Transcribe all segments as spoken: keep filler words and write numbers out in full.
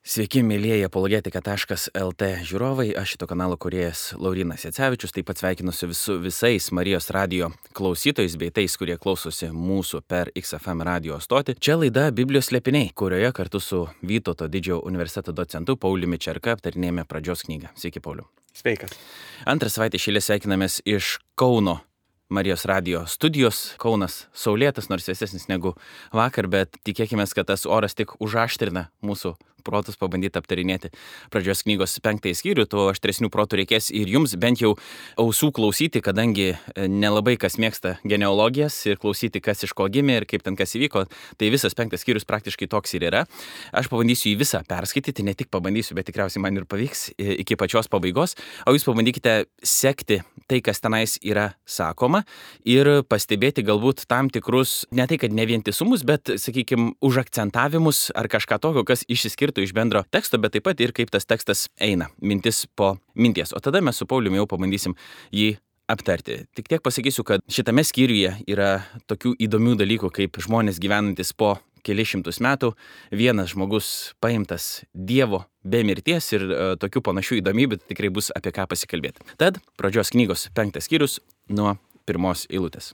Sveiki, mėlyjeji apologetika taškas el tė žiūrovai, aš šito kanalo kūrėjas Laurynas Jacevičius, taip pat sveikinuosi visu, visais Marijos radijo klausytojais bei tais, kurie klausosi mūsų per X F M radijo stotį. Čia laida Biblijos slėpiniai, kurioje kartu su Vytauto didžiojo universiteto docentu Pauliumi Čerka aptarinėjame pradžios knygą. Sveiki, Pauliu. Sveikas. Antrą savaitę iš eilės sveikinamės iš Kauno Marijos radijo studijos. Kaunas saulėtas, nors vėsesnis negu vakar, bet tikėkime, kad tas oras tik užaštrina mūsų protus pabandyti aptarinėti pradžios knygos penktąjį skyrių, tuo aštresnių protų reikės ir jums bent jau ausų klausyti, kadangi nelabai kas mėgsta genealogijas ir klausyti, kas iš ko gimė ir kaip ten kas įvyko, tai visas penktas skyrius praktiškai toks ir yra. Aš pabandysiu jį visą perskaityti, ne tik pabandysiu, bet tikriausiai man ir pavyks iki pačios pabaigos, o jūs pabandykite sekti tai, kas tenais yra sakoma ir pastebėti galbūt tam tikrus, ne tai kad ne vientisumus, bet, sakykime, užakcentavimus ar kažką tokio, kas išsiskirtų iš bendro teksto, bet taip pat ir kaip tas tekstas eina, mintis po minties. O tada mes su Pauliumi jau pabandysim jį aptarti. Tik tiek pasakysiu, kad šitame skyriuje yra tokių įdomių dalykų, kaip žmonės gyvenantis po kelius šimtus metų, vienas žmogus paimtas Dievo be mirties ir e, tokių panašių įdomybių tikrai bus apie ką pasikalbėti. Tad pradžios knygos penktas skyrius nuo pirmos eilutės.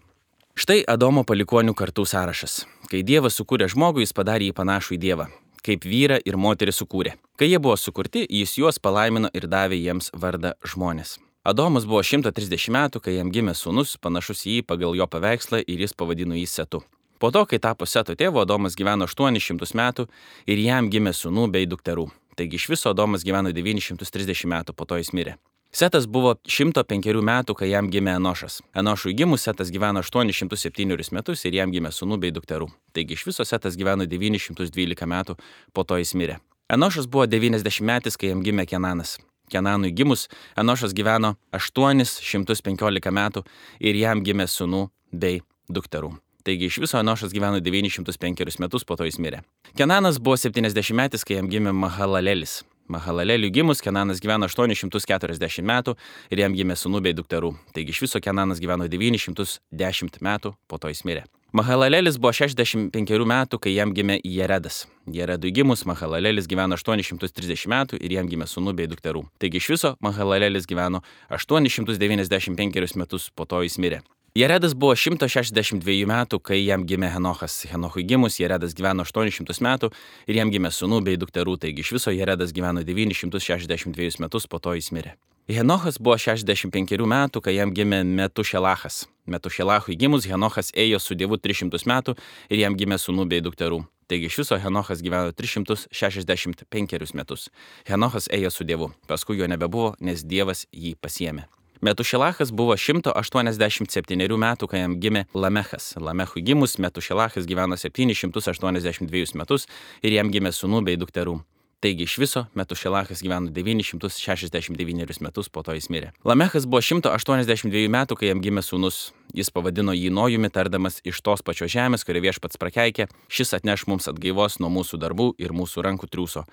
Štai Adomo palikuonių kartų sąrašas. Kai Dievas sukūrė žmogų, jis padarė jį panašų į Dievą, kaip vyrą ir moterį sukūrė. Kai jie buvo sukurti, jis juos palaimino ir davė jiems vardą žmonės. Adomas buvo šimtas trisdešimt metų, kai jam gimė sūnus, panašus į jį pagal jo paveikslą ir jis pavadino jį Setu. Po to, kai tapo Seto tėvu, Adomas gyveno aštuonis šimtus metų ir jam gimė sūnų bei dukterų. Taigi iš viso Adomas gyveno devynis šimtus trisdešimt metų, po to jis mirė. Setas buvo šimto penkerių metų, kai jam gimė Enošas. Enošui gimus Setas gyveno aštuonis šimtus septynerius metus ir jam gimė sūnų bei dukterų. Taigi iš viso Setas gyveno devynis šimtus dvylika metų, po to jis mirė. Enošas buvo devyniasdešimt metais, kai jam gimė Kenanas. Kenanui gimus Enošas gyveno aštuonis šimtus penkiolika metų ir jam gimė sūnų bei dukterų. Taigi iš viso Enošas gyveno devynis šimtus penkerius metus, po to jis mirė. Kenanas buvo septyniasdešimt metais, kai jam gimė Mahalalelis. Mahalaleliui gimus Kenanas gyveno aštuonis šimtus keturiasdešimt metų ir jam gimė sūnų bei dukterų. Taigi iš viso Kenanas gyveno devynis šimtus dešimt metų, po to jis mirė. Mahalalelis buvo šešiasdešimt penkerių metų, kai jam gimė Jeredas. Jeredui gimus Mahalalelis gyveno aštuonis šimtus trisdešimt metų ir jam gimė sūnų bei dukterų. Taigi iš viso Mahalalelis gyveno aštuonis šimtus devyniasdešimt penkerius metus, po to jis mirė. Jeredas buvo šimtas šešiasdešimt dviejų metų, kai jam gimė Henochas. Henochui gimus Jeredas gyveno aštuonis šimtus metų ir jam gimė sūnų bei dukterų, taigi iš viso Jeredas gyveno devynis šimtus šešiasdešimt dvejus metus, po to jis mirė. Henochas buvo šešiasdešimt penkerių metų, kai jam gimė Metušelachas. Metušelachui gimus Henochas ėjo su Dievu tris šimtus metų ir jam gimė sūnų bei dukterų. Taigi iš viso Henochas gyveno tris šimtus šešiasdešimt penkerius metus. Henochas ėjo su Dievu, paskui jo nebebuvo, nes Dievas jį pasiėmė. Metušelachas buvo šimtas aštuoniasdešimt septynerių metų, kai jam gimė Lamechas. Lamechui gimus Metušelachas gyveno septynis šimtus aštuoniasdešimt dvejus metus ir jam gimė sūnų bei dukterų. Taigi iš viso Metušelachas gyveno devynis šimtus šešiasdešimt devynerius metus, po to jis mirė. Lamechas buvo šimtas aštuoniasdešimt dviejų metų, kai jam gimė sūnus. Jis pavadino jį Nojumi, tardamas iš tos pačios žemės, kurią viešpats prakeikė, šis atneš mums atgaivos nuo mūsų darbų ir mūsų rankų triūso.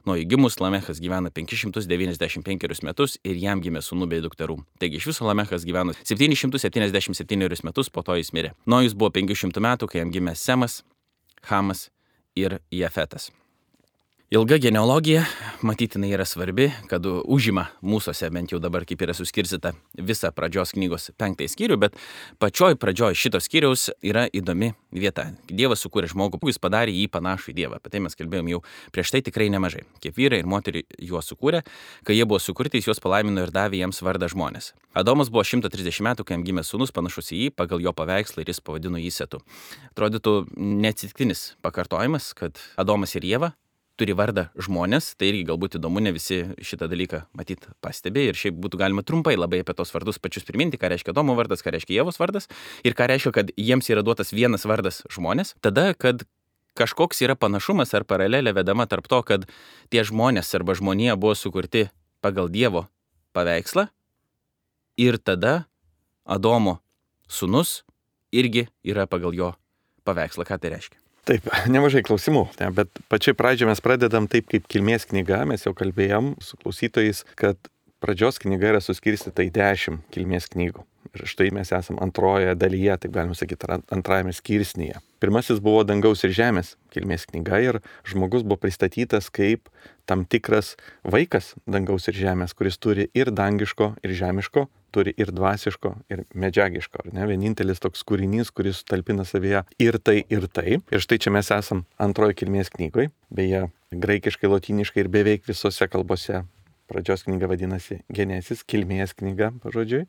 Nojui gimus Lamechas gyveno penkis šimtus devyniasdešimt penkerius metus ir jam gimė sūnų bei dukterų. Taigi iš viso Lamechas gyveno septynis šimtus septyniasdešimt septynerius metus, po to jis mirė. Nojus buvo penkių šimtų metų, kai jam gimė Semas, Hamas ir Jafetas. Ilga genealogija, matytinai yra svarbi, kad užima mūsųse, bent jau dabar kaip yra suskirstyta visa pradžios knygos penktąjį skyrių, bet pačioj pradžioj šito skyriaus yra įdomi vieta. Dievas sukūrė žmogų, jis padarė jį panašų į Dievą. Apie tai mes kalbėjom jau prieš tai tikrai nemažai. Kaip vyrai ir moterį juos sukūrė, kai jie buvo sukurti, jis juos palaimino ir davė jiems vardą žmonės. Adomas buvo šimtas trisdešimt metų, kai jam gimė sūnus panašus į jį pagal jo paveikslą ir jis pavadino jį Setu. Atrodytų neatsitiktinis pakartojimas, kad Adomas ir Ieva turi vardą žmonės, tai irgi galbūt įdomu, ne visi šitą dalyką matyt pastebė ir šiaip būtų galima trumpai labai apie tos vardus pačius priminti, ką reiškia Adomo vardas, ką reiškia Ievos vardas ir ką reiškia, kad jiems yra duotas vienas vardas žmonės, tada, kad kažkoks yra panašumas ar paralelė vedama tarp to, kad tie žmonės arba žmonija buvo sukurti pagal Dievo paveikslą ir tada Adomo sūnus irgi yra pagal jo paveikslą. Ką tai reiškia? Taip, nemažai klausimų, ne, bet pačiai pradžioje mes pradedam taip kaip kilmės knyga, mes jau kalbėjom su klausytojais, kad pradžios knyga yra suskirstyta į dešimt kilmės knygų. Ir štai mes esame antrojoje dalyje, taip galima sakyti, antrajame skirsnyje. Pirmasis buvo dangaus ir žemės kilmės knyga ir žmogus buvo pristatytas kaip tam tikras vaikas dangaus ir žemės, kuris turi ir dangiško, ir žemiško, turi ir dvasiško, ir medžiagiško. Ar ne? Vienintelis toks kūrinys, kuris talpina savyje ir tai, ir tai. Ir štai čia mes esam antrojo kilmės knygoje, beje, graikiškai, lotyniškai ir beveik visose kalbose. Pradžios knyga vadinasi Genesis, kilmės knyga, pažodžiui,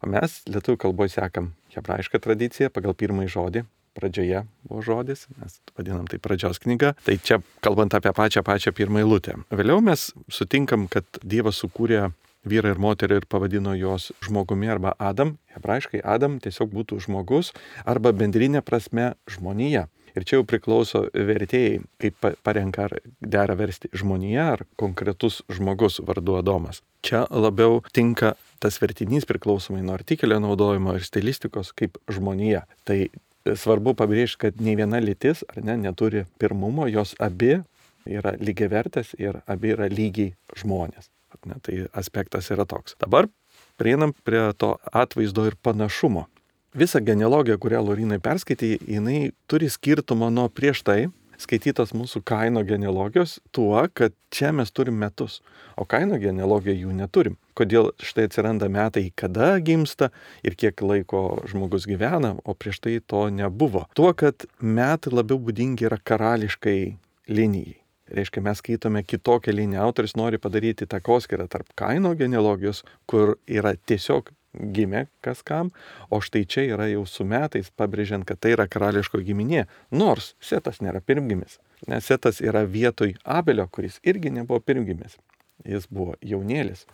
o mes lietuvių kalboje sekam hebrajišką tradiciją pagal pirmąjį žodį. Pradžioje buvo žodis, mes vadinam tai pradžios knyga. Tai čia kalbant apie pačią pačią pirmą eilutę. Vėliau mes sutinkam, kad Dievas sukūrė vyrą ir moterį ir pavadino jos žmogumi arba Adam. Hebrajiškai Adam tiesiog būtų žmogus arba bendrinė prasme žmonija. Ir čia jau priklauso vertėjai, kaip parenka ar dera versti žmonija ar konkretus žmogus vardu Adomas. Čia labiau tinka tas vertinys priklausomai nuo artikelio naudojimo ir stilistikos kaip žmonija. Tai svarbu pabrėžti, kad nei viena lytis ar ne, neturi pirmumo, jos abi yra lygiavertės ir abi yra lygiai žmonės. Ne, tai aspektas yra toks. Dabar prieinam prie to atvaizdo ir panašumo. Visa genealogija, kurią Laurynai perskaitė, jinai turi skirtumą nuo prieš tai skaitytos mūsų Kaino genealogijos tuo, kad čia mes turim metus, o Kaino genealogijoje jų neturim. Kodėl štai atsiranda metai, kada gimsta ir kiek laiko žmogus gyvena, o prieš tai to nebuvo. Tuo, kad metai labiau būdingi yra karališkai linijai. Reiškia, mes skaitome kitokią liniją. Autoris nori padaryti takoskyrą tarp Kaino genealogijos, kur yra tiesiog gimė kas kam, o štai čia yra jau su metais pabrėžiant, kad tai yra karališko giminė, nors Setas nėra pirmgimis. Nes Setas yra vietoj Abelio, kuris irgi nebuvo pirmgimis. Jis buvo jaunėlis.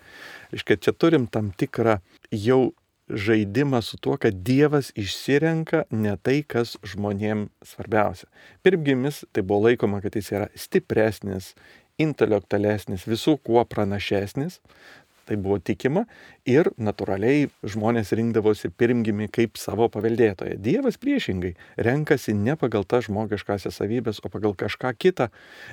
Reiškia, čia turim tam tikrą jau žaidimą su tuo, kad Dievas išsirenka ne tai, kas žmonėm svarbiausia. Pirmgimis tai buvo laikoma, kad jis yra stipresnis, intelektualesnis, visų kuo pranašesnis. Tai buvo tikima ir natūraliai žmonės rinkdavosi pirmgimį kaip savo paveldėtoją. Dievas priešingai renkasi ne pagal tas žmogiškasias savybės, o pagal kažką kitą,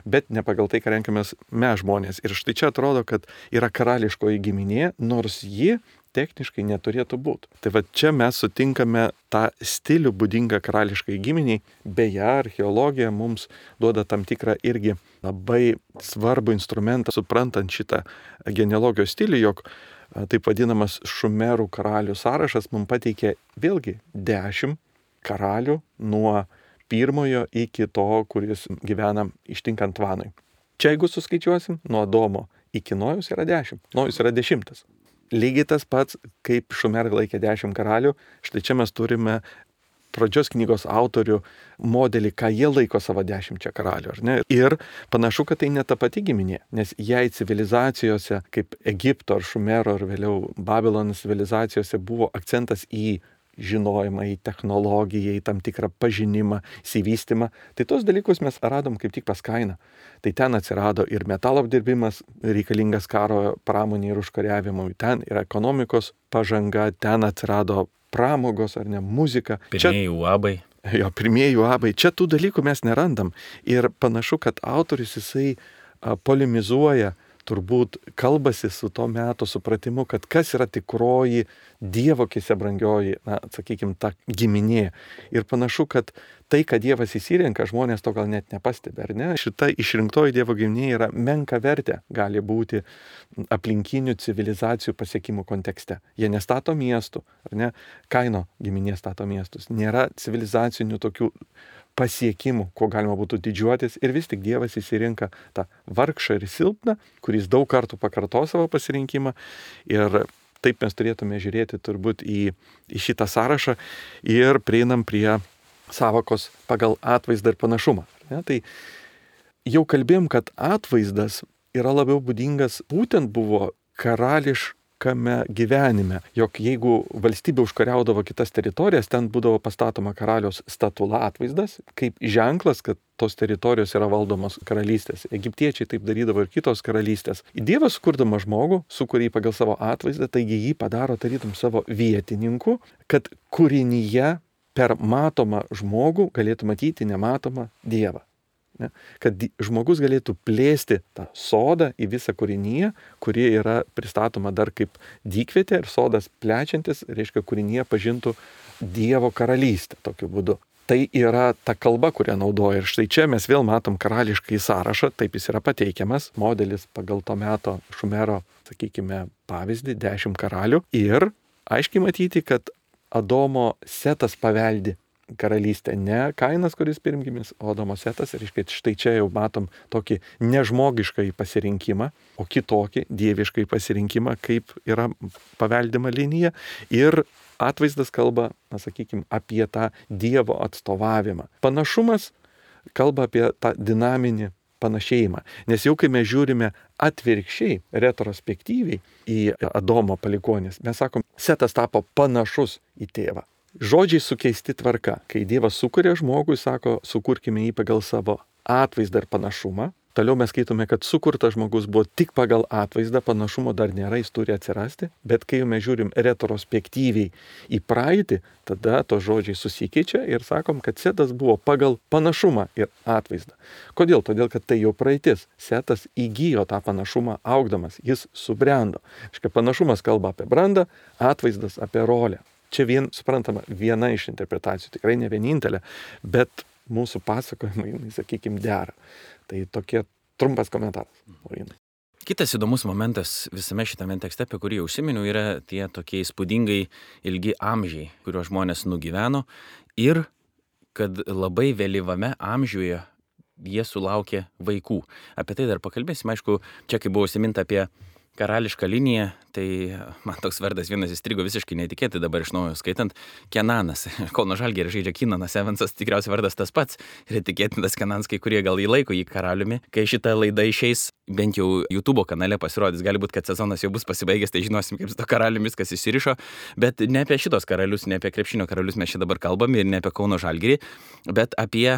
bet ne pagal tai, ką renkamės mes žmonės. Ir štai čia atrodo, kad yra karališkoji giminė, nors ji techniškai neturėtų būti. Tai va čia mes sutinkame tą stilių būdingą karališkai giminiai. Beje, archeologija mums duoda tam tikrą irgi labai svarbų instrumentą, suprantant šitą genealogijos stilių, jog taip vadinamas Šumerų karalių sąrašas mums pateikė vėlgi dešimt karalių nuo pirmojo iki to, kuris gyvena ištinkant Vanui. Čia jeigu suskaičiuosim, nuo Adomo iki Nojaus yra dešimt. Nojus yra dešimtas. Lygiai tas pats, kaip Šumerai laikė dešimt karalių, štai čia mes turime pradžios knygos autorių modelį, ką jie laiko savo dešimčia karalių, ar ne? Ir panašu, kad tai ne ta pati giminė, nes jei civilizacijose, kaip Egipto ar Šumero ar vėliau Babilono civilizacijose buvo akcentas į žinojimą, į technologiją, į tam tikrą pažinimą, įsivystymą, tai tos dalykus mes radom kaip tik pas Kainą. Tai ten atsirado ir metalo apdirbimas reikalingas karo pramonė ir užkariavimui, ten ir ekonomikos pažanga, ten atsirado pramogos ar ne muzika. Pirmieji uabai. Jo, pirmieji uabai. Čia tų dalykų mes nerandam. Ir panašu, kad autorius jisai a, polemizuoja, turbūt kalbasi su to meto supratimu, kad kas yra tikroji Dievo akise brangioji, na, sakykime, ta giminė. Ir panašu, kad tai, kad Dievas įsirenka, žmonės to gal net nepastebi, ar ne? Šita išrinktoji Dievo giminė yra menka vertė, gali būti aplinkinių civilizacijų pasiekimų kontekste. Jie nestato miestų, ar ne? Kaino giminė stato miestus. Nėra civilizacinių tokių pasiekimų, ko galima būtų didžiuotis, ir vis tik Dievas įsirinka tą vargšą ir silpną, kuris daug kartų pakarto savo pasirinkimą, ir taip mes turėtume žiūrėti turbūt į, į šitą sąrašą ir prieinam prie sąvokos pagal atvaizdą ir panašumą. Ne? Tai jau kalbėjom, kad atvaizdas yra labiau būdingas būtent buvo karališkame gyvenime, jog jeigu valstybė užkariaudavo kitas teritorijas, ten būdavo pastatoma karaliaus statula atvaizdas, kaip ženklas, kad tos teritorijos yra valdomos karalystės. Egiptiečiai taip darydavo ir kitos karalystės. Dievas, sukurdama žmogų, sukuria jį pagal savo atvaizdą, taigi jį padaro tarytum savo vietininku, kad kūrinyje per matomą žmogų galėtų matyti nematomą Dievą. Ne? Kad žmogus galėtų plėsti tą sodą į visą kūrinyje, kuri yra pristatoma dar kaip dykvietė ir sodas plečiantis, reiškia, kūrinyje pažintų Dievo karalystę tokiu būdu. Tai yra ta kalba, kurią naudoja. Ir štai čia mes vėl matom karališkai sąrašą, taip jis yra pateikiamas, modelis pagal to meto Šumero, sakykime, pavyzdį, dešimt karalių. Ir aiškiai matyti, kad Adomo Setas paveldi karalystę, ne Kainas, kuris pirmgimis, o Adomo Setas. Ir štai čia jau matom tokį nežmogišką pasirinkimą, o kitokį dievišką pasirinkimą, kaip yra paveldima linija. Ir atvaizdas kalba, na, sakykime, apie tą Dievo atstovavimą. Panašumas kalba apie tą dinaminį panašėjimą. Nes jau kai mes žiūrime atvirkščiai, retrospektyviai į Adomo palikuonis, mes sakom, Setas tapo panašus į tėvą. Žodžiai sukeisti tvarka. Kai Dievas sukuria žmogų, sako, sukurkime jį pagal savo atvaizdą ir panašumą. Toliau mes skaitome, kad sukurtas žmogus buvo tik pagal atvaizdą, panašumo dar nėra, jis turi atsirasti, bet kai mes žiūrim retrospektyviai į praeitį, tada to žodžiai susikeičia ir sakom, kad Setas buvo pagal panašumą ir atvaizdą. Kodėl? Todėl, kad tai jau praeitis. Setas įgijo tą panašumą augdamas, jis subrendo. Škia, panašumas kalba apie brandą, atvaizdas apie rolę. Čia vien, suprantama, viena iš interpretacijų, tikrai ne vienintelė, bet mūsų pasakojimai, sakykime, dera. Tai tokie trumpas komentaras. Kitas įdomus momentas visame šitame tekste, apie kurį užsiminiau, yra tie tokie įspūdingai ilgi amžiai, kuriuos žmonės nugyveno ir kad labai vėlyvame amžiuje jie sulaukė vaikų. Apie tai dar pakalbėsim. Aišku, čia kai buvo užsiminta apie karališką liniją, tai man toks vardas vienas įstrigo visiškai netikėtai dabar iš naujo skaitant. Kenanas. Kauno Žalgiris žaidžia Kenanas Evansas, tikriausiai vardas tas pats. Ir tikėtinas Kenanas, kai kurie gal įlaiko jį karaliumi. Kai šita laida išeis, bent jau YouTube kanale pasirodys, gali būti, kad sezonas jau bus pasibaigęs, tai žinosim, kaip su to karaliumi viskas įsirišo. Bet ne apie šitos karalius, ne apie krepšinio karalius mes čia dabar kalbame ir ne apie Kauno Žalgirį, bet apie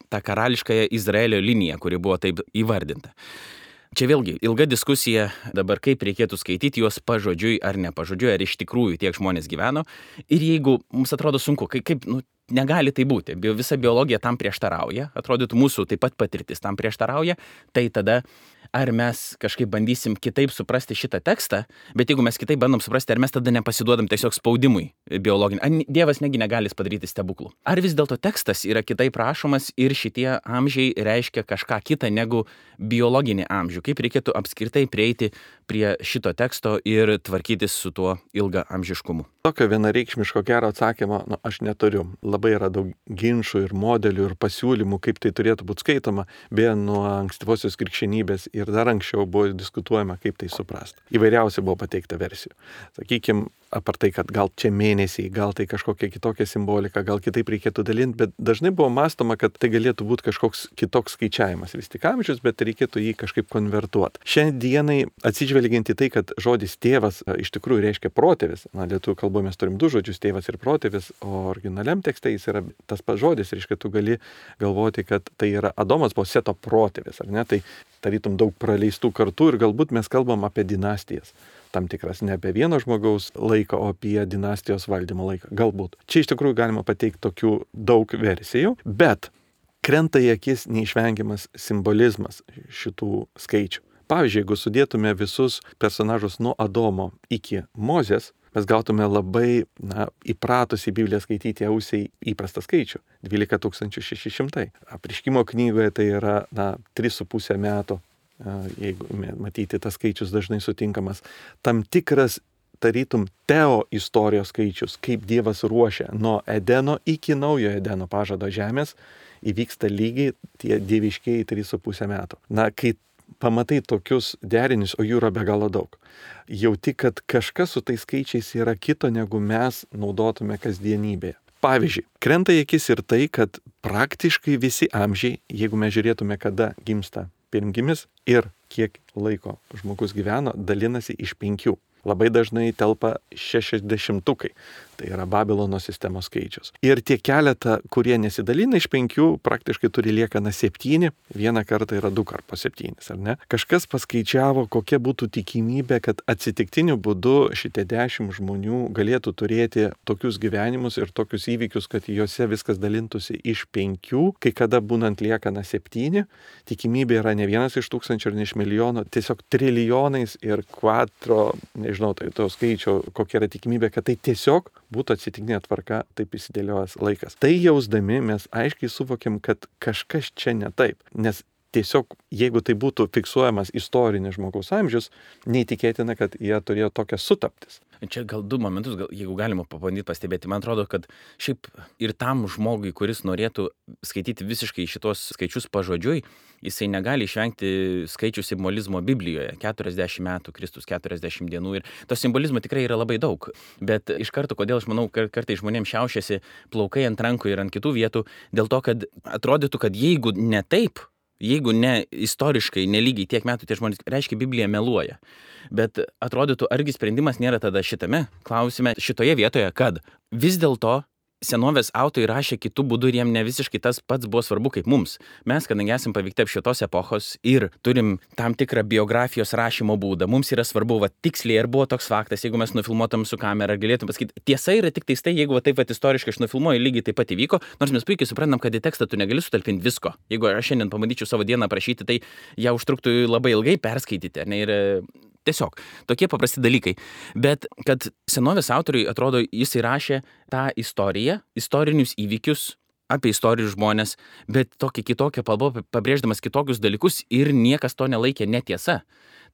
tą karališkąją Izraelio liniją, kuri buvo taip įvardinta. Čia vėlgi ilga diskusija dabar, kaip reikėtų skaityti juos pažodžiui ar ne pažodžiui, ar iš tikrųjų tiek žmonės gyveno. Ir jeigu mums atrodo sunku, kaip, kaip nu, negali tai būti, visa biologija tam prieštarauja, atrodytų mūsų taip pat patirtis tam prieštarauja, tai tada ar mes kažkaip bandysim kitaip suprasti šitą tekstą, bet jeigu mes kitaip bandom suprasti, ar mes tada nepasiduodam tiesiog spaudimui biologinį, ar Dievas negi negali padaryti stebuklų. Ar vis dėlto tekstas yra kitaip rašomas ir šitie amžiai reiškia kažką kitą negu biologinį amžių. Kaip reikėtų apskritai prieiti prie šito teksto ir tvarkytis su tuo ilga amžiškumu? Tokio vienareikšmiško gero atsakymo nu, aš neturiu. Labai yra daug ginčų ir modelių ir pasiūlymų, kaip tai turėtų būti skaitoma, beje, nuo ankstyvosios krikščionybės ir dar anksčiau buvo diskutuojama, kaip tai suprasti. Įvairiausiai buvo pateikta versijų. Sakykime, apart tai, kad gal čia mėnesiai, gal tai kažkokia kitokia simbolika, gal kitaip reikėtų dalinti, bet dažnai buvo mąstoma, kad tai galėtų būti kažkoks kitoks skaičiavimas. Vis tik amžius, bet reikėtų jį kažkaip konvertuoti. Šiandienai atsižvelgiant į tai, kad žodis tėvas iš tikrųjų reiškia protėvis. Na, lietuvių kalboje mes turim du žodžius, tėvas ir protėvis, o originaliam tekste jis yra tas pats žodis, reiškia, tu gali galvoti, kad tai yra Adomas buvo Seto protėvis, ar ne? Tai tarytum daug praleistų kartų ir galbūt mes kalbam apie dinastijas. Tam tikras ne apie vieno žmogaus laiką, o apie dinastijos valdymo laiką. Galbūt. Čia iš tikrųjų galima pateikti tokių daug versijų, bet krenta į akis neišvengiamas simbolizmas šitų skaičių. Pavyzdžiui, jeigu sudėtume visus personažus nuo Adomo iki Mozės, mes gautume labai na, įpratusį Bibliją skaityti ausiai įprastą skaičių – dvylika tūkstančių šeši šimtai. Apreiškimo knygoje tai yra na, tris su pusė metų. Jeigu matyti, tas skaičius dažnai sutinkamas, tam tikras, tarytum, teo istorijos skaičius, kaip Dievas ruošia nuo Edeno iki naujo Edeno pažado žemės, įvyksta lygiai tie dieviškieji trys su pusė metų. Na, kai pamatai tokius derinius, o jų yra be galo daug, jauti, kad kažkas su tais skaičiais yra kito, negu mes naudotume kasdienybėje. Pavyzdžiui, krenta į akis ir tai, kad praktiškai visi amžiai, jeigu mes žiūrėtume, kada gimsta pirmgimis ir kiek laiko žmogus gyveno, dalinasi iš penkių. Labai dažnai telpa šešiasdešimtukai. Tai yra Babilono sistemos skaičius. Ir tie keletą, kurie nesidalina iš penkių, praktiškai turi liekaną septyni, vieną kartą yra du kart po septynis, ar ne? Kažkas paskaičiavo, kokia būtų tikimybė, kad atsitiktiniu būdu šitie dešimt žmonių galėtų turėti tokius gyvenimus ir tokius įvykius, kad juose viskas dalintųsi iš penkių, kai kada būnant liekana septyni, tikimybė yra ne vienas iš tūkstančio ir ne iš milijono, tiesiog trilijonais ir kvadro, nežinau, tai to skaičio, kokia yra tikimybė, kad tai tiesiog būtų atsitiktinė tvarka, taip įsidėliojęs laikas. Tai jausdami mes aiškiai suvokiam, kad kažkas čia ne taip, nes tiesiog, jeigu tai būtų fiksuojamas istorinis žmogaus amžius, neįtikėtina, kad jie turėjo tokias sutaptis. Čia gal du momentus, gal, jeigu galima pabandyti pastebėti, man atrodo, kad šiaip ir tam žmogui, kuris norėtų skaityti visiškai šitos skaičius pažodžiui, jisai negali išvengti skaičių simbolizmo Biblijoje. keturiasdešimt metų, Kristus keturiasdešimt dienų ir to simbolizmo tikrai yra labai daug. Bet iš karto, kodėl aš manau, kartais žmonėms šiaušiasi plaukai ant rankų ir ant kitų vietų, dėl to, kad atrodytų, kad jeigu ne taip, jeigu ne istoriškai, nelygiai tiek metų tie žmonės, reiškia Biblija meluoja. Bet atrodytų, argi sprendimas nėra tada šitame klausime, šitoje vietoje, kad vis dėlto senovės autoriai rašė kitų būdų ir jiem ne visiškai tas pats buvo svarbu kaip mums. Mes, kadangi esame paveikti apšvietos epochos ir turim tam tikrą biografijos rašymo būdą, mums yra svarbu, va, tiksliai, ar buvo toks faktas, jeigu mes nufilmuotam su kamera, galėtum pasakyti, tiesa yra tik tai, jeigu va, taip va, istoriškai aš nufilmuoju, lygiai taip pat įvyko, nors mes puikiai suprantam, kad į tekstą tu negali sutalpinti visko. Jeigu aš šiandien pabandyčiau savo dieną aprašyti, tai ją užtruktų labai ilgai perskaityti, ne, ir tiesiog tokie paprasti dalykai. Bet kad senovės autoriui, atrodo, jis įrašė tą istoriją, istorinius įvykius apie istorinius žmonės, bet tokia kitokia kalba, pabrėždamas kitokius dalykus ir niekas to nelaikė netiesa.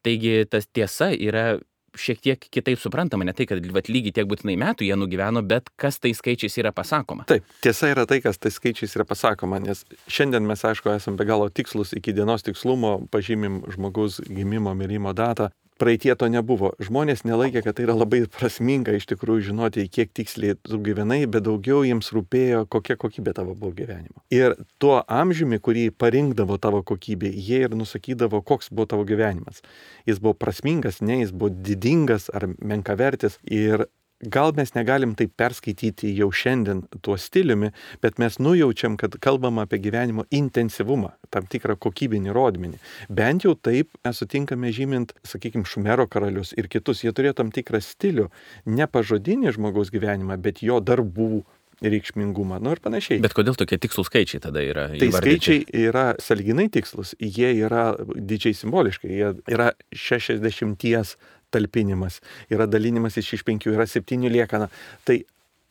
Taigi tas tiesa yra šiek tiek kitaip suprantama, ne tai, kad vat, lygiai tiek būtinai metų jie nugyveno, bet kas tai skaičiais yra pasakoma. Taip, tiesa yra tai, kas tai skaičiais yra pasakoma, nes šiandien mes, aišku, esame be galo tikslus, iki dienos tikslumo pažymim žmogaus gimimo, mirimo datą. Praeitie to nebuvo. Žmonės nelaikė, kad tai yra labai prasminga iš tikrųjų žinoti, kiek tiksliai tu gyvenai, bet daugiau jiems rūpėjo, kokia kokybė tavo buvo gyvenimo. Ir tuo amžiumi, kurį parinkdavo tavo kokybė, jie ir nusakydavo, koks buvo tavo gyvenimas. Jis buvo prasmingas, ne, jis buvo didingas ar menkavertis. Ir gal mes negalim taip perskaityti jau šiandien tuo stiliumi, bet mes nujaučiam, kad kalbam apie gyvenimo intensyvumą, tam tikrą kokybinį rodmenį. Bent jau taip mes sutinkame žymint, sakykime, Šumero karalius ir kitus. Jie turėjo tam tikrą stilių, ne pažodinį žmogaus gyvenimą, bet jo darbų reikšmingumą, nu ir panašiai. Bet kodėl tokie tikslų skaičiai tada yra Tai įvardyti? skaičiai yra sąlyginai tikslus, jie yra didžiai simboliškai, jie yra šešiasdešimties talpinimas, yra dalinimas iš penkių, yra septynių liekana. Tai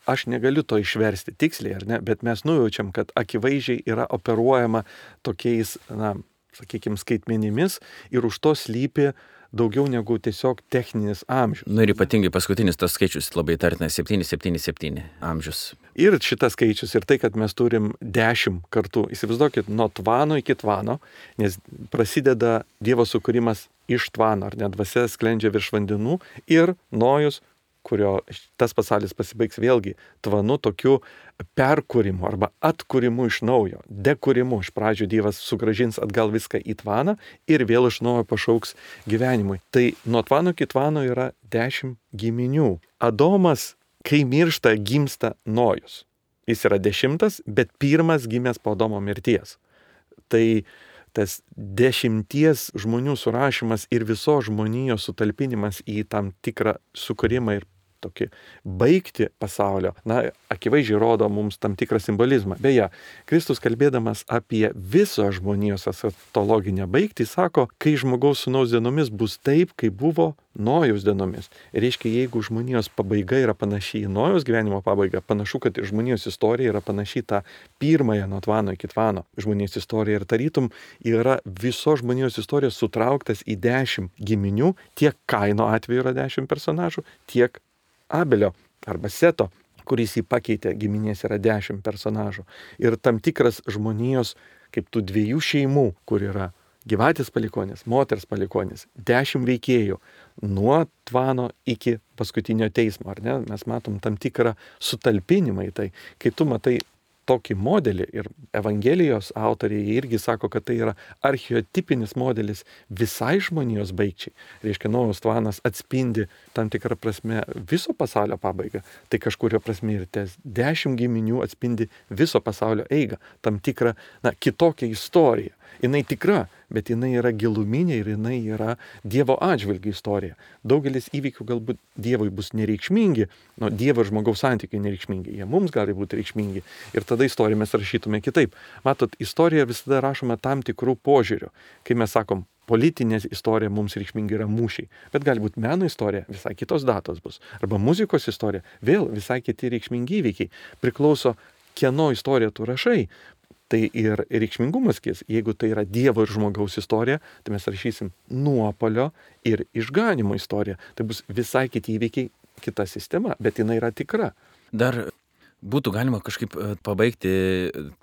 aš negaliu to išversti tiksliai, ar ne, bet mes nujaučiam, kad akivaizdžiai yra operuojama tokiais, na, sakykime, skaitmenimis ir už to slypi daugiau negu tiesiog techninis amžius. Nu ir ypatingai paskutinis tas skaičius labai tartinas septyni septyni septyni amžius. Ir šitas skaičius ir tai, kad mes turim dešimt kartų. Įsivaizduokit, nuo tvano iki tvano, nes prasideda Dievo sukūrimas iš tvano, ar net dvasia sklendžia virš vandenų ir Nojus, kurio tas pasaulis pasibaigs vėlgi tvanu tokiu perkūrimu arba atkūrimu iš naujo, dekūrimu. Iš pradžių Dievas sugražins atgal viską į tvaną ir vėl iš naujo pašauks gyvenimui. Tai nuo tvano iki tvano yra dešimt giminių. Adomas, kai miršta, gimsta Nojus. Jis yra dešimtas, bet pirmas gimęs po Adomo mirties. Tai tas dešimties žmonių surašymas ir visos žmonijos sutalpinimas į tam tikrą sukūrimą ir tokį baigti pasaulio, na, akivaizdžiai rodo mums tam tikrą simbolizmą. Beje, Kristus kalbėdamas apie viso žmonijos eschatologinę baigtį, sako, kai žmogaus sūnaus dienomis bus taip, kaip buvo Nojaus dienomis. Ir reiškia, jeigu žmonijos pabaiga yra panaši į Nojaus gyvenimo pabaigą, panašu, kad ir žmonijos istorija yra panaši tą pirmąją nuo tvano iki tvano žmonijos istorija. Ir tarytum yra viso žmonijos istorijos sutrauktas į dešimt giminių, tiek Kaino atveju yra dešimt personažų, tiek Abelio arba Seto, kuris jį pakeitė, giminės yra dešimt personažų. Ir tam tikras žmonijos kaip tų dviejų šeimų, kur yra gyvatės palikonis, moters palikonis, dešimt veikėjų, nuo tvano iki paskutinio teismo, ar ne? Mes matom tam tikrą sutalpinimą į tai. Kai tu matai tokį modelį ir Evangelijos autoriai irgi sako, kad tai yra archeotipinis modelis visai žmonijos baigčiai. Reiškia, Nojaus tvanas atspindi tam tikrą prasme viso pasaulio pabaigą. Tai kažkurio prasme ir ties dešimt giminių atspindi viso pasaulio eigą, tam tikrą, na, kitokią istoriją. Jinai tikra, bet jinai yra giluminė ir jinai yra Dievo atžvilgių istorija. Daugelis įvykių galbūt Dievui bus nereikšmingi, nu, Dievo ir žmogaus santykiai nereikšmingi, jie mums gali būti reikšmingi ir tada istoriją mes rašytume kitaip. Matot, istorija visada rašoma tam tikrų požiūrių. Kai mes sakom, politinė istorija mums reikšmingi yra mūšiai, bet gali būti meno istorija, visai kitos datos bus. Arba muzikos istorija, vėl visai kiti reikšmingi įvykiai. Priklauso, kieno istoriją tu rašai. Tai ir reikšmingumas kis, jeigu tai yra Dievo ir žmogaus istorija, tai mes rašysim nuopolio ir išganimo istoriją. Tai bus visai kiti įvykiai, kita sistema, bet jinai yra tikra. Dar būtų galima kažkaip pabaigti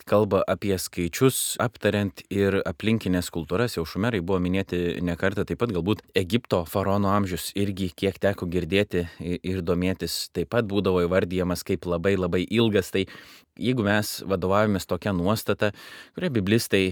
kalbą apie skaičius, aptariant ir aplinkinės kultūras. Jau šumerai buvo minėti ne kartą, taip pat galbūt Egipto faraono amžius irgi, kiek teko girdėti ir domėtis, taip pat būdavo įvardyjamas kaip labai labai ilgas. Tai jeigu mes vadovavomės tokia nuostata, kuria biblistai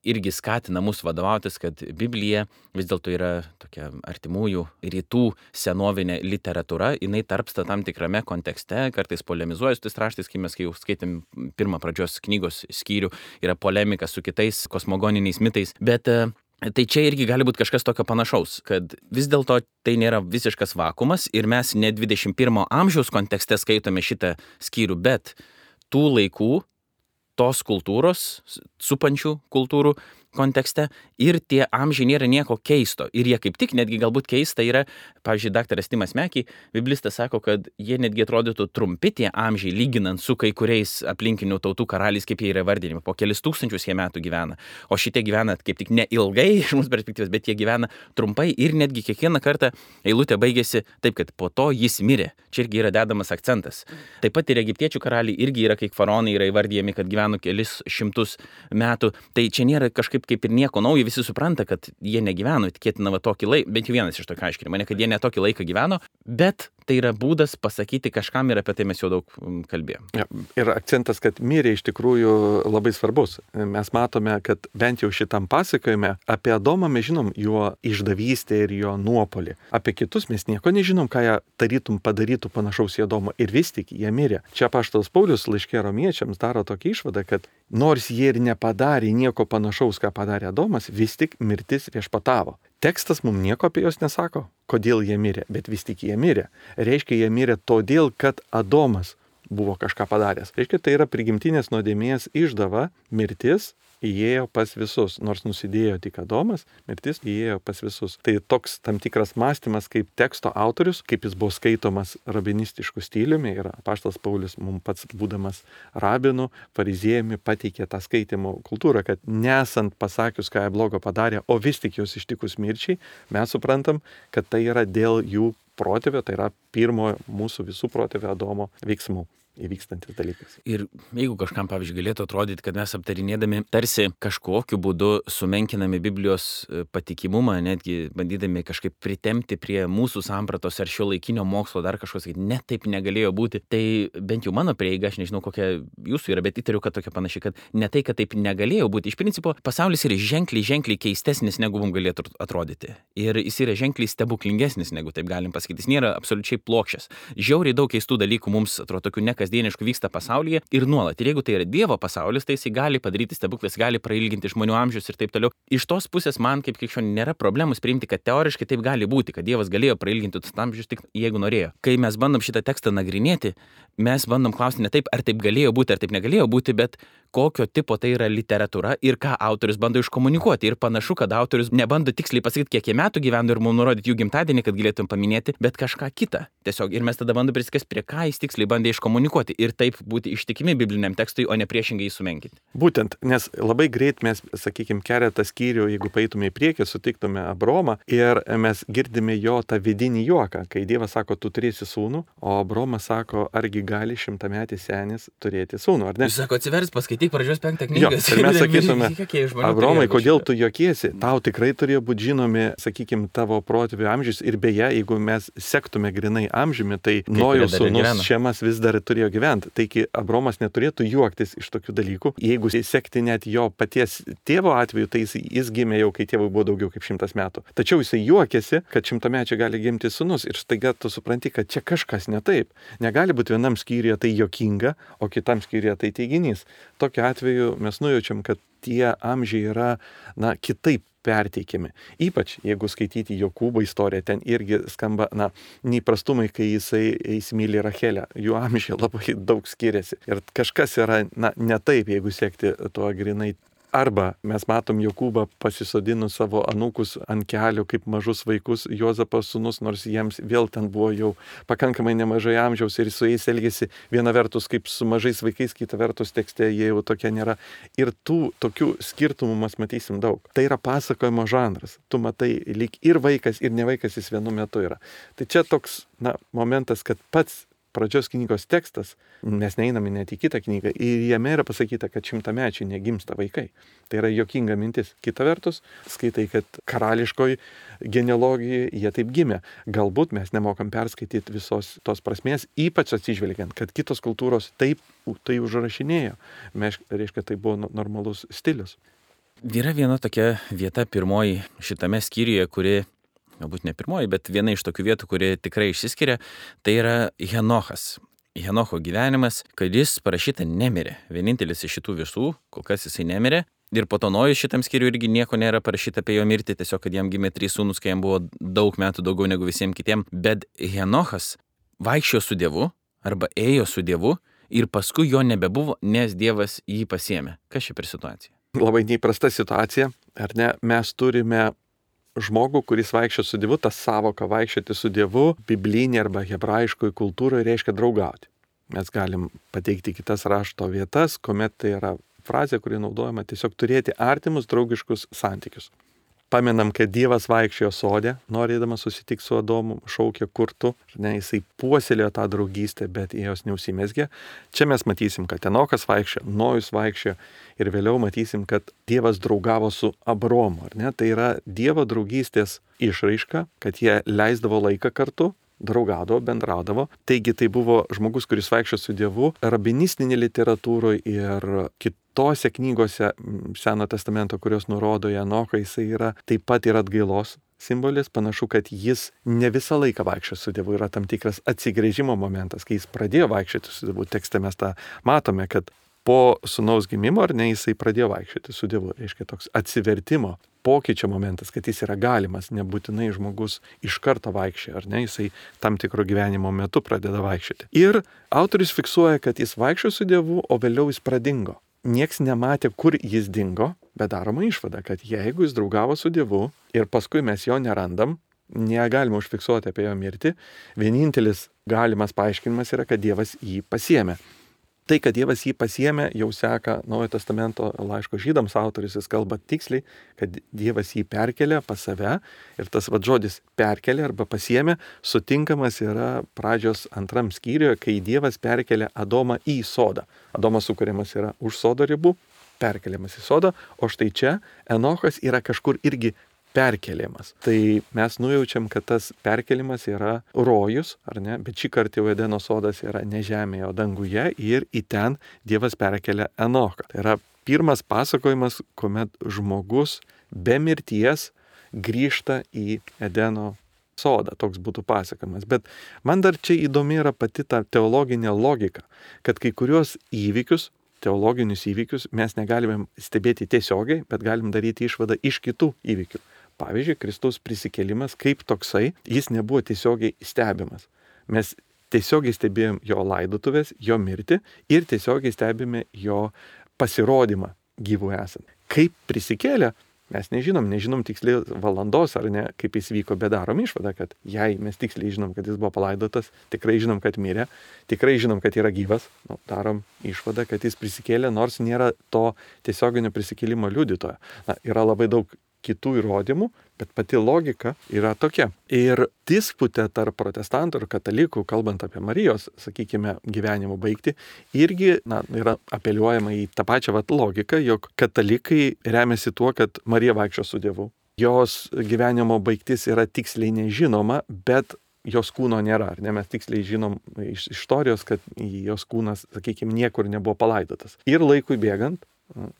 irgi skatina mus vadovautis, kad Biblija vis dėlto yra tokia artimųjų rytų senovinė literatūra, jinai tarpsta tam tikrame kontekste, kartais polemizuoja su tais raštais, kai mes kai jau skaitėm pirmą pradžios knygos skyrių, yra polemika su kitais kosmogoniniais mitais, bet tai čia irgi gali būti kažkas tokio panašaus, kad vis dėlto tai nėra visiškas vakumas ir mes ne dvidešimt pirmo amžiaus kontekste skaitome šitą skyrių, bet tų laikų, tos kultūros, supančių kultūrų kontekste ir tie amžiai nėra nieko keisto. Ir jie kaip tik netgi galbūt keista yra, pavyzdžiui, daktaras Timas Meky, biblistas sako, kad jie netgi atrodytų trumpi tie amžiai, lyginant su kai kuriais aplinkinių tautų karaliais, kaip jie yra vardinimi. Po kelis tūkstančius jie metų gyvena. O šitie gyvena kaip tik ne ilgai iš mūsų perspektyvos, bet jie gyvena trumpai ir netgi kiekvieną kartą eilutė baigėsi taip, kad po to jis mirė. Čia irgi yra dedamas akcentas. Taip pat ir egiptiečių karaliai irgi yra, kaip faraonai yra įvardyjami, kad gyveno kelis šimtus metų. Tai čia nėra kažkaip kaip ir nieko naujo, visi supranta, kad jie negyveno, tikėtina va tokį laiką, bent jau vienas iš tokio aiškinimo, ne kad jie ne tokį laiką gyveno, bet tai yra būdas pasakyti kažkam ir apie tai mes jau daug kalbėjom. Ja, ir akcentas, kad mirė iš tikrųjų labai svarbus. Mes matome, kad bent jau šitam pasakojime apie Adomą mes žinom jo išdavystę ir jo nuopolį. Apie kitus mes nieko nežinom, ką jie tarytum padarytų panašaus į Adomą ir vis tik jie mirė. Čia apaštalas Paulius laiške romiečiams daro tokį išvadą, kad nors jie ir nepadarė nieko panašaus, ką padarė Adomas, vis tik mirtis viešpatavo. Tekstas mums nieko apie juos nesako, kodėl jie mirė, bet vis tik jie mirė. Reiškia, jie mirė todėl, kad Adomas buvo kažką padaręs. Reiškia, tai yra prigimtinės nuodėmės išdava, mirtis įėjo pas visus. Nors nusidėjo tik Adomas, mirtis įėjo pas visus. Tai toks tam tikras mąstymas kaip teksto autorius, kaip jis buvo skaitomas rabinistiškų stiliumi ir apaštalas Paulius mums pats būdamas rabinu, fariziejumi pateikė tą skaitimo kultūrą, kad nesant pasakius, ką jie blogo padarė, o vis tik jos ištikus mirčiai, mes suprantam, kad tai yra dėl jų protėvio, tai yra pirmo mūsų visų protėvio Adomo veiksmų įvykstantis dalykas. Ir jeigu kažkam, pavyzdžiui, galėtų atrodyti, kad mes aptarinėdami tarsi kažkokiu būdu sumenkinami Biblijos patikimumą, netgi bandydami kažkaip pritemti prie mūsų sampratos ar šio laikinio mokslo dar kažko sakyti, ne taip negalėjo būti, tai bent jau mano prieiga, aš nežinau kokia jūsų yra, bet įtariu, kad tokia panašiai, kad ne tai, kad taip negalėjo būti. Iš principo, pasaulis yra ženkliai, ženkliai keistesnis, negu mums galėtų atrodyti. Ir jis yra ženkliai stebuklingesnis, negu taip galim pasakyti. Jis nėra absoliučiai plokščias. Žiauriai daug keistų dalykų mums atrodo tokių ne kasdieniškų vyksta pasaulyje ir nuolat. Ir jeigu tai yra Dievo pasaulis, tai jis gali padaryti stebuklus, gali prailginti žmonių amžius ir taip toliau. Iš tos pusės man kaip krikščioniui nėra problemos priimti, kad teoriškai taip gali būti, kad Dievas galėjo prailginti tus amžius tik jeigu norėjo. Kai mes bandom šitą tekstą nagrinėti, mes bandom klausti ne taip, ar taip galėjo būti, ar taip negalėjo būti, bet kokio tipo tai yra literatūra ir ką autorius bando iškomunikuoti. Ir panašu, kad autorius nebando tiksliai pasakyti, kiek jie metų gyveno ir mums nurodyti jų gimtadienį, kad galėtum paminėti, bet kažką kitą. Tiesiog ir mes tada bandome prisikasti, prie ką jis tiksliai bandė iškomunikuoti ir taip būti ištikimi bibliniam tekstui, o ne priešingai jį sumenkinti. Būtent, nes labai greit mes, sakykime, keletą skyrių, jeigu paeitume į priekį, sutiktume Abromą ir mes girdime jo tą vidinį juoką, kai Dievas sako, tu turėsi sūnų, o Abromas sako, argi gali šimtametis senis turėti sūnų, ar ne? Jis sako, atsivers, paskaityk skaityk pradžios penktą knygą. Jo, ir mes sakytume, Abromai, kodėl tu juokiesi? Tau tikrai turėjo būti žinomi, sakykime, tavo protėvių amžius. Ir beje, jeigu mes sektume grinai amžiumi, tai Nojaus sūnus Šemas vis dar turėjo gyventi. Taigi Abromas neturėtų juoktis iš tokių dalykų. Jeigu sekti net jo paties tėvo atveju, tai jis, jis gimė jau, kai tėvui buvo daugiau kaip šimtas metų. Tačiau jisai juokėsi, kad šimtamečio gali gimti sūnus. Ir staiga tu supranti, kad čia kažkas ne taip. Negali būti vienam skyriuje tai juokinga, o kitam skyriuje tai teiginys. Tokiu atveju mes nujaučiam, kad tie amžiai yra, na, kitaip perteikiami. Ypač, jeigu skaityti Jokūbo istoriją, ten irgi skamba, na, neįprastumai, kai jisai įsimyli Rachelę. Jų amžiai labai daug skiriasi. Ir kažkas yra, na, ne taip, jeigu sekti tuo grinai. Arba mes matom Jokūbą pasisodinus savo anūkus ant kelių kaip mažus vaikus, Juozapas sūnus, nors jiems vėl ten buvo jau pakankamai nemažai amžiaus ir su jais elgėsi viena vertus kaip su mažais vaikais, kita vertus tekste jie jau tokie nėra. Ir tų tokių skirtumų mes matysim daug. Tai yra pasakojimo žanras. Tu matai, lyg ir vaikas, ir ne vaikas jis vienu metu yra. Tai čia toks, na, momentas, kad pats pradžios knygos tekstas, mes neiname net į kitą knygą, ir jame yra pasakyta, kad šimtamečiai negimsta vaikai. Tai yra juokinga mintis. Kita vertus, skaitai, kad karališkoji genealogija jie taip gimė. Galbūt mes nemokam perskaityti visos tos prasmės, ypač atsižvelgiant, kad kitos kultūros taip tai užrašinėjo. Mes, reiškia, tai buvo normalus stilius. Yra viena tokia vieta pirmoji šitame skyriuje, kuri galbūt ne pirmoji, bet viena iš tokių vietų, kuri tikrai išsiskiria, tai yra Henochas. Henocho gyvenimas, kad jis parašyta nemirė. Vienintelis iš šitų visų, kol kas jisai nemirė. Ir po to Nojus šitam skyriui irgi nieko nėra parašyta apie jo mirtį, tiesiog, kad jam gimė trys sūnus, kai jam buvo daug metų daugiau negu visiems kitiem. Bet Henochas vaikščiojo su Dievu, arba ėjo su Dievu, ir paskui jo nebebuvo, nes Dievas jį pasiėmė. Kas čia per situacija? Labai neįprasta situacija, ar ne? Mes turime žmogų, kuris vaikščia su Dievu, ta savoka vaikščioti su Dievu, biblinė arba hebrajiškoji kultūroje reiškia draugauti. Mes galim pateikti kitas rašto vietas, kuomet tai yra frazė, kuri naudojama tiesiog turėti artimus draugiškus santykius. Pamenam, kad Dievas vaikščiojo sode, norėdamas susitikti su Adomu, šaukė kurtu, ne, jisai puoselėjo tą draugystę, bet jos neužsimezgė. Čia mes matysim, kad Enochas vaikščiojo, Nojus vaikščiojo ir vėliau matysim, kad Dievas draugavo su Abromu. Ar ne? Tai yra Dievo draugystės išraiška, kad jie leisdavo laiką kartu, draugaudavo, bendraudavo. Taigi tai buvo žmogus, kuris vaikščiojo su Dievu, rabinistinė literatūroje ir kitose knygose Seno testamento, kurios nurodo Enochą, jisai yra taip pat ir atgailos simbolis. Panašu, kad jis ne visą laiką vaikščiojo su Dievu, yra tam tikras atsigręžimo momentas, kai jis pradėjo vaikščioti su Dievu. Tekste mes tą matome, kad po sūnaus gimimo, ar ne, jisai pradėjo vaikščioti su Dievu. Reiškia toks atsivertimo, pokyčio momentas, kad jis yra galimas, nebūtinai žmogus iš karto vaikščia, ar ne, jisai tam tikro gyvenimo metu pradeda vaikščioti. Ir autorius fiksuoja, kad jis vaikščio su Dievu, o vėliau jis pradingo. Nieks nematė, kur jis dingo, bet daroma išvada, kad jeigu jis draugavo su Dievu ir paskui mes jo nerandam, negalime užfiksuoti apie jo mirtį, vienintelis galimas paaiškinimas yra, kad Dievas jį pasiėmė. Tai, kad Dievas jį pasiėmė, jau seka Naujojo testamento laiško žydams autorius, jis kalba tiksliai, kad Dievas jį perkelė pas save ir tas vad žodis perkelė arba pasiėmė sutinkamas yra pradžios antram skyriuje, kai Dievas perkelė Adomą į sodą. Adomas sukuriamas yra už sodo ribų, perkeliamas į sodą, o štai čia Enochas yra kažkur irgi perkeliamas. Tai mes nujaučiam, kad tas perkelimas yra rojus, ar ne, bet šį kartą jau Edeno sodas yra ne žemėje, o danguje ir į ten Dievas perkelia Enochą. Tai yra pirmas pasakojimas, kuomet žmogus be mirties grįžta į Edeno sodą. Toks būtų pasakojimas. Bet man dar čia įdomi yra pati ta teologinė logika, kad kai kurios įvykius, teologinius įvykius mes negalime stebėti tiesiogiai, bet galim daryti išvadą iš kitų įvykių. Pavyzdžiui, Kristaus prisikėlimas kaip toksai, jis nebuvo tiesiogiai stebimas. Mes tiesiogiai stebėjom jo laidotuvės, jo mirtį ir tiesiogiai stebime jo pasirodymą gyvų esant. Kaip prisikėlė, mes nežinom, nežinom tiksliai valandos ar ne, kaip jis vyko, bet darom išvadą, kad jei mes tiksliai žinom, kad jis buvo palaidotas, tikrai žinom, kad mirė, tikrai žinom, kad yra gyvas, nu, darom išvadą, kad jis prisikėlė, nors nėra to tiesioginio prisikėlimo liudytojo. Na, yra labai daug kitų įrodymų, bet pati logika yra tokia. Ir disputė tarp protestantų ir katalikų, kalbant apie Marijos, sakykime, gyvenimo baigtį, irgi na, yra apeliuojama į tą pačią vat, logiką, jog katalikai remiasi tuo, kad Marija vaikščio su Dievu. Jos gyvenimo baigtis yra tiksliai nežinoma, bet jos kūno nėra. Ar ne? Mes tiksliai žinom iš istorijos, kad jos kūnas, sakykime, niekur nebuvo palaidotas. Ir laikui bėgant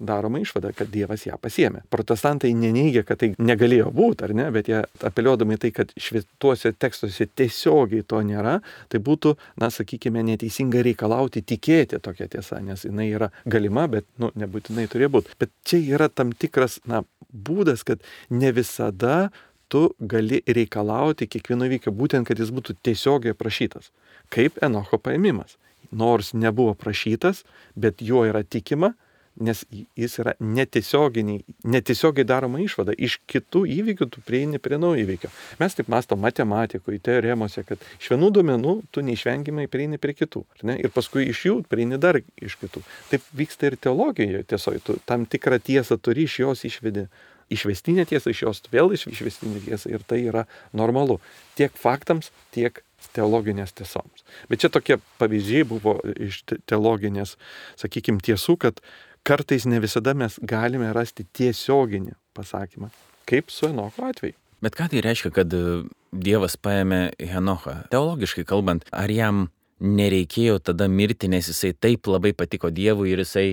daroma išvada, kad Dievas ją pasiėmė. Protestantai neneigia, kad tai negalėjo būti, ar ne, bet jie apeliuodami tai, kad šventuose tekstuose tiesiogiai to nėra, tai būtų, na, sakykime, neteisinga reikalauti tikėti tokia tiesa, nes jinai yra galima, bet, nu, nebūtinai turėjo būti. Bet čia yra tam tikras, na, būdas, kad ne visada tu gali reikalauti kiekvieno įvykio, būtent, kad jis būtų tiesiogiai prašytas. Kaip Enocho paėmimas. Nors nebuvo prašytas, bet juo yra tikima, nes jis yra netiesiogiai, netiesiogiai daroma išvada. Iš kitų įvykių tu prieini prie naujo įvykio. Mes taip mąstom matematikoje, teoremose, kad iš vienų duomenų tu neišvengiamai prieini prie kitų. Ne? Ir paskui iš jų prieini dar iš kitų. Taip vyksta ir teologijoje tiesoje. Tu tam tikrą tiesą turi, iš jos išvedi išvestinę tiesą, iš jos vėl išvestinę tiesą. Ir tai yra normalu. Tiek faktams, tiek teologinės tiesoms. Bet čia tokie pavyzdžiai buvo iš teologinės, sakykime, tiesų, kad kartais ne visada mes galime rasti tiesioginį pasakymą, kaip su Enocho atveju. Bet ką tai reiškia, kad Dievas paėmė Henochą? Teologiškai kalbant, ar jam nereikėjo tada mirti, nes jisai taip labai patiko Dievui ir jisai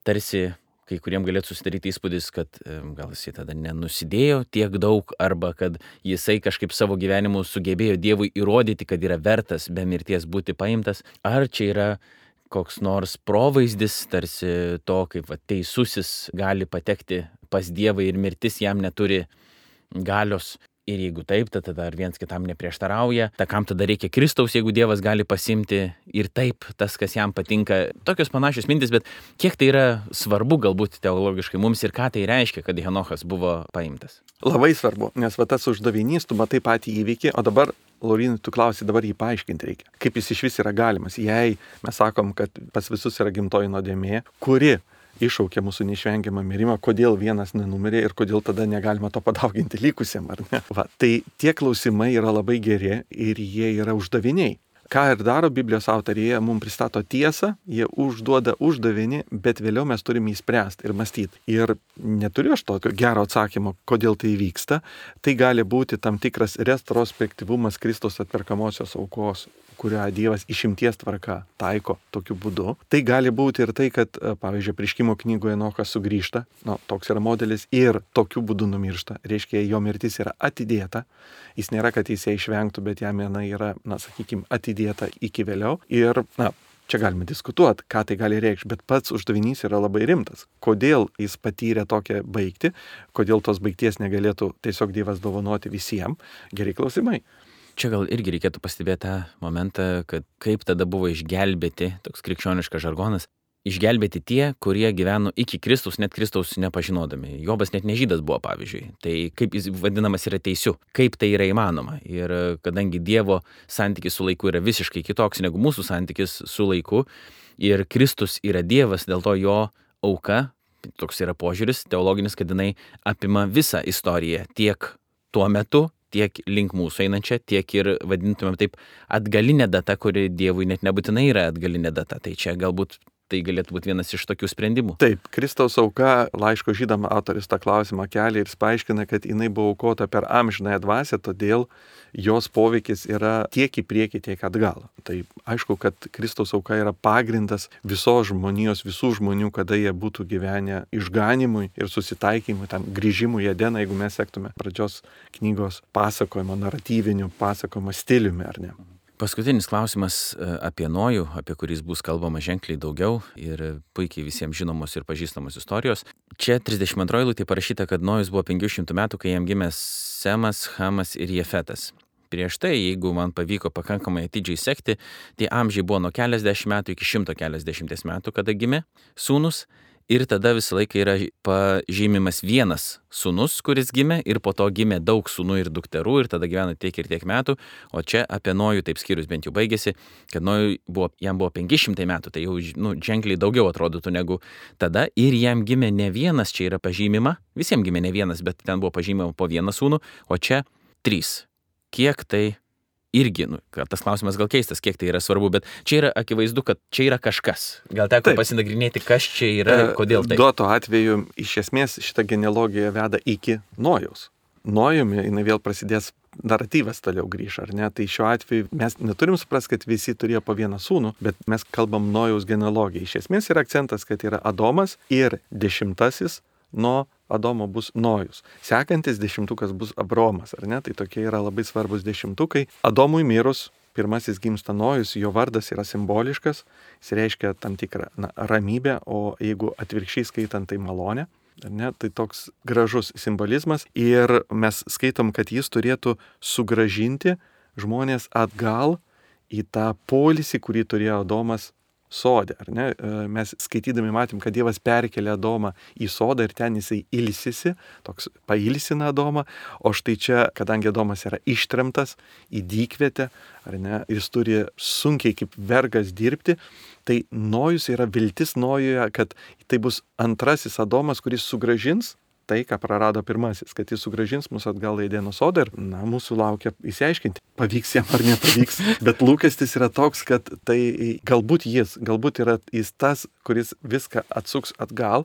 tarsi kai kuriem galėtų susidaryti įspūdis, kad gal jisai tada nenusidėjo tiek daug, arba kad jisai kažkaip savo gyvenimu sugebėjo Dievui įrodyti, kad yra vertas be mirties būti paimtas. Ar čia yra koks nors provaizdis, tarsi to, kaip va, teisusis gali patekti pas Dievą ir mirtis jam neturi galios. Ir jeigu taip, tai tada ar viens kitam neprieštarauja, tai kam tada reikia Kristaus, jeigu Dievas gali pasimti ir taip tas, kas jam patinka. Tokios panašios mintis, bet kiek tai yra svarbu galbūt teologiškai mums ir ką tai reiškia, kad Henochas buvo paimtas? Labai svarbu, nes va tas uždavinys, tu matai patį įvykį, o dabar, Laurinai, tu klausi, dabar jį paaiškinti reikia. Kaip jis iš vis yra galimas, jei mes sakom, kad pas visus yra gimtoji nuodėmė, kuri iššaukia mūsų neišvengiamą mirimą, kodėl vienas nenumirė ir kodėl tada negalima to padauginti likusiem, ar ne? Va, tai tie klausimai yra labai geri ir jie yra uždaviniai. Ką ir daro Biblijos autoriai, jie mums pristato tiesą, jie užduoda uždavinį, bet vėliau mes turime įspręsti ir mąstyti. Ir neturiu aš tokio gero atsakymo, kodėl tai vyksta. Tai gali būti tam tikras retrospektyvumas Kristaus atperkamosios aukos, kurią Dievas išimties tvarka taiko tokiu būdu. Tai gali būti ir tai, kad, pavyzdžiui, Apreiškimo knygoje Enochas sugrįžta, nu, toks yra modelis, ir tokiu būdu numiršta. Reiškia, jo mirtis yra atidėta. Jis nėra, kad jis ją išvengtų, bet jam jinai yra, na, sakykime, atidėta iki vėliau. Ir, na, čia galime diskutuoti, ką tai gali reikšti, bet pats uždavinys yra labai rimtas. Kodėl jis patyrė tokią baigtį, kodėl tos baigties negalėtų tiesiog Dievas dovanoti visiems, geri klausimai. Čia gal irgi reikėtų pastebėti tą momentą, kad kaip tada buvo išgelbėti, toks krikščioniškas žargonas, išgelbėti tie, kurie gyveno iki Kristaus, net Kristaus nepažinodami. Jobas net nežydas buvo, pavyzdžiui. Tai kaip jis vadinamas yra teisiu, kaip tai yra įmanoma. Ir kadangi Dievo santykis su laiku yra visiškai kitoks negu mūsų santykis su laiku, ir Kristus yra Dievas, dėl to jo auka, toks yra požiūris teologinis, kad jinai apima visą istoriją tiek tuo metu, tiek link mūsų einančią, tiek ir vadintumėm taip atgalinė data, kuri Dievui net nebūtinai yra atgalinė data. Tai čia galbūt tai galėtų būti vienas iš tokių sprendimų. Taip, Kristaus auka, laiško žydam autorius tą klausimą kelia ir jis paaiškina, kad jinai buvo aukota per amžinąją dvasią, todėl jos poveikis yra tiek į priekį, tiek atgal. Tai aišku, kad Kristaus auka yra pagrindas visos žmonijos, visų žmonių, kada jie būtų gyvenę išganimui ir susitaikymui, tam grįžimui į Edeną, jeigu mes sektume pradžios knygos pasakojimo, naratyvinių pasakojimo stiliumi, ar ne? Paskutinis klausimas apie Nojų, apie kuris bus kalbama ženkliai daugiau ir puikiai visiems žinomos ir pažįstamos istorijos. Čia trisdešimt antroji eilutė parašyta, kad Nojus buvo penkių šimtų metų, kai jam gimė Semas, Hamas ir Jefetas. Prieš tai, jeigu man pavyko pakankamai atidžiai sekti, tie amžiai buvo nuo keliasdešimt metų iki šimto keliasdešimties metų, kada gimė sūnus. Ir tada visą laiką yra pažymimas vienas sūnus, kuris gimė, ir po to gimė daug sūnų ir dukterų, ir tada gyveno tiek ir tiek metų. O čia apie Nojų taip skyrius bent jau baigėsi, kad Nojui buvo, jam buvo penki šimtai metų, tai jau nu, ženkliai daugiau atrodytų negu tada. Ir jam gimė ne vienas, čia yra pažymima, visiems gimė ne vienas, bet ten buvo pažymima po vieną sūnų, o čia trys. Kiek tai irgi, nu, tas klausimas gal keistas, kiek tai yra svarbu, bet čia yra akivaizdu, kad čia yra kažkas. Gal teko taip pasinagrinėti, kas čia yra, kodėl tai. Duoto atveju, iš esmės, šitą genealogiją veda iki Nojaus. Nojumi, jinai vėl prasidės, naratyvas toliau grįž, ar ne? Tai šiuo atveju mes neturim suprasti, kad visi turėjo po vieną sūnų, bet mes kalbam Nojaus genealogiją. Iš esmės yra akcentas, kad yra Adomas ir dešimtasis nuo Adomo bus Nojus. Sekantis dešimtukas bus Abromas, ar ne? Tai tokie yra labai svarbus dešimtukai. Adomui mirus, pirmasis gimsta Nojus, jo vardas yra simboliškas, jis reiškia tam tikrą na, ramybę, o jeigu atvirkščiai skaitant, tai malonę. Ar ne? Tai toks gražus simbolizmas ir mes skaitom, kad jis turėtų sugražinti žmonės atgal į tą poilsį, kurį turėjo Adomas sode, ar ne? Mes skaitydami matėm, kad Dievas perkelia Adomą į sodą ir ten jisai ilsisi, toks pailsina Adomą, o štai čia, kadangi Adomas yra ištremtas į dykvietę, ar ne, jis turi sunkiai kaip vergas dirbti, tai Nojus yra viltis Nojuje, kad tai bus antrasis Adomas, kuris sugražins tai, ką prarado pirmasis, kad jis sugražins mus atgal į Edeno sodą ir, na, mūsų laukia įsiaiškinti, pavyks jam ar nepavyks, bet lūkestis yra toks, kad tai galbūt jis, galbūt yra jis tas, kuris viską atsuks atgal,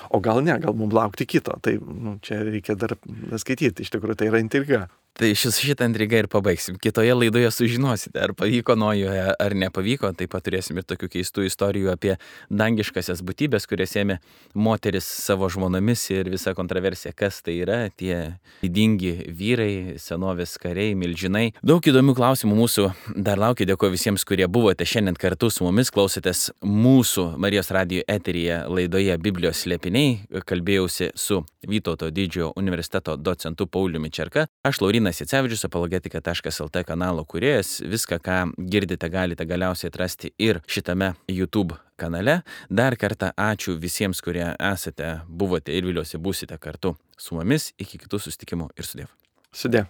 o gal ne, gal mums laukti kito, tai nu, čia reikia dar skaityti, iš tikrųjų tai yra intriga. Tai šis šitą intrigą ir pabaigsim. Kitoje laidoje sužinosite, ar pavyko Nojuje, ar nepavyko. Taip pat turėsim ir tokių keistų istorijų apie dangiškasias būtybės, kurias ėmė moteris savo žmonomis ir visa kontroversija, kas tai yra, tie didingi vyrai, senovės kariai, milžinai. Daug įdomių klausimų mūsų dar laukia. Dėkuoju visiems, kurie buvote šiandien kartu su mumis, klausėtės mūsų Marijos radijo eteryje laidoje Biblijos slėpiniai. Kalbėjausi su Vytauto didžiojo universiteto docentu Pauliumi Čerka. Aš Laurinas Jacevičius, apologetika taškas el te kanalo kūrėjas. Viską, ką girdite, galite galiausiai atrasti ir šitame YouTube kanale. Dar kartą ačiū visiems, kurie esate, buvote ir viliuosi būsite kartu su mumis. Iki kitų susitikimų ir sudiev. Sudiev.